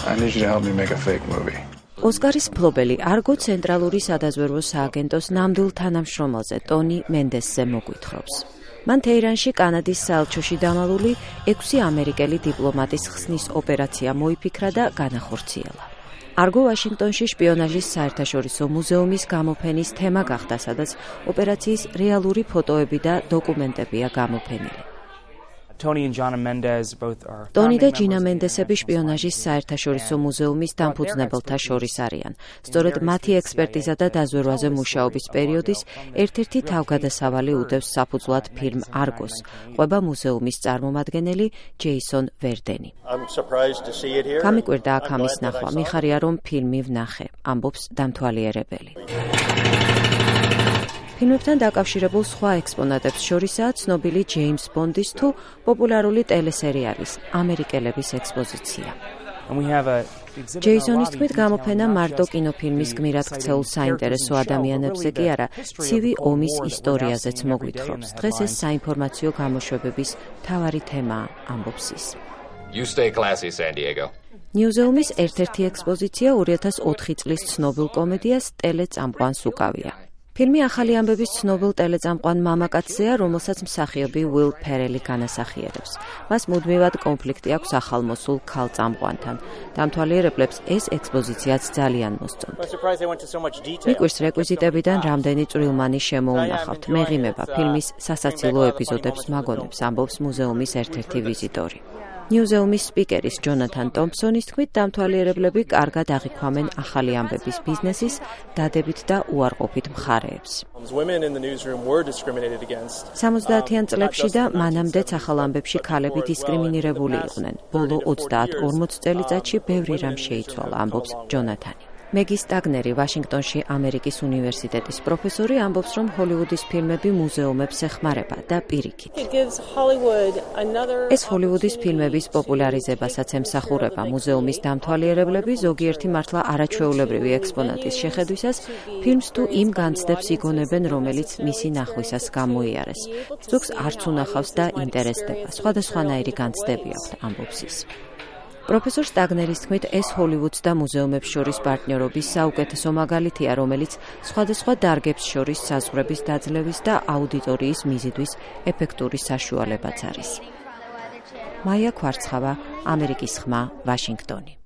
I need you to help me make a fake movie. ოსკარის მფლობელი არგო ცენტრალური სადაზვერვო სააგენტოს ნამდვილ თანამშრომელზე ტონი მენდესზე მოგვითხრობს. მან თეირანში კანადის საელჩოში დამალული 6 ამერიკელი დიპლომატის ხსნის ოპერაცია მოიფიქრა და განახორციელა. არგო ვაშინგტონში შპიონაჟის საერთაშორისო მუზეუმის გამოფენის თემა გახდა, სადაც ოპერაციის რეალური ფოტოები და დოკუმენტებია გამოფენილი. ტონი და ჯინა მენდესები შპიონაჟის საერთაშორისო მუზეუმის დამფუძნებელთა შორის არიან. სწორედ მათი ექსპერტიზა და დაზვერვაზე მუშაობის პერიოდის ერთ-ერთი თავგადასავალი უდევს საფუძვლად ფილმ არგოს, ყვება მუზეუმის წარმომადგენელი ჯეისონ ვერდენი. გამიკვირდა აქ ამის ნახვა, მიხარია რომ ფილმი ვნახე, ამბობს დამთვალიერებელი. ფილმებთან დაკავშირებულ სხვა ექსპონატებს შორისაა ცნობილი ჯეიმს ბონდის თუ პოპულარული ტელესერიალის ამერიკელების ექსპოზიცია. ჯეისონის თქმით, გამოფენა მარტო კინოფილმის გმირად ქცეულ საინტერესო ადამიანებზე კი არა, ცივი ომის ისტორიაზეც მოგვითხრობს. დღეს ეს საინფორმაციო გამოშვებების მთავარი თემაა, ამბობს ის. მუზეუმის ერთ-ერთი ექსპოზიცია 2004 წლის ცნობილ კომედიას ტელეწამყვანს უკავია. ფილმი ახალი ამბების ცნობილ ტელეწამყვან მამაკაცზეა, რომელსაც მსახიობი უილ ფერელი განასახიერებს. მას მუდმივად კონფლიქტი აქვს ახალმოსულ ქალწამყვანთან. დამთვალიერებლებს ეს ექსპოზიციაც ძალიან მოსწონთ. მიკვირს რეკვიზიტებიდან რამდენი წვრილმანი შემოუნახავთ. მეღიმება ფილმის სასაცილო ეპიზოდებს მაგონებს, ამბობს მუზეუმის ერთ-ერთი ვიზიტორი. მუზეუმის სპიკერის ჯონათან ტომპსონის თქმით, დამთვალიერებლები კარგად აღიქვამენ ახალი ამბების ბიზნესის დადებით და უარყოფით მხარეებს. 70-იან წლებში და მანამდეც ახალ ამბებში ქალები დისკრიმინირებული იყვნენ. ბოლო 30-40 წელიწადში ბევრი რამ შეიცვალა, ამბობს ჯონათანი. მეგი სტაგნერი, ვაშინგტონში ამერიკის უნივერსიტეტის პროფესორი, ამბობს, რომ ჰოლივუდის ფილმები მუზეუმებს ეხმარება და პირიქით. ეს ჰოლივუდის ფილმების პოპულარიზებასაც ემსახურება. მუზეუმის დამთვალიერებლები ზოგიერთი მართლა არაჩვეულებრივი ექსპონატის შეხედვისას ფილმს თუ იმ განცდებს იგონებენ, რომელიც მისი ნახვისას გამოიარეს. ზოგს არც უნახავს და ინტერესდება. სხვადასხვანაირი განცდები აქვთ, ამბობს ის. პროფესორ სტაგნერის თქმით, ეს ჰოლივუდს და მუზეუმებს შორის პარტნიორობის საუკეთესო მაგალითია, რომელიც სხვადასხვა დარგებს შორის საზღვრების დაძლევის და აუდიტორიის მიზიდვის ეფექტური საშუალებაც არის. მაია ქვარცხავა, ამერიკის ხმა, ვაშინგტონი.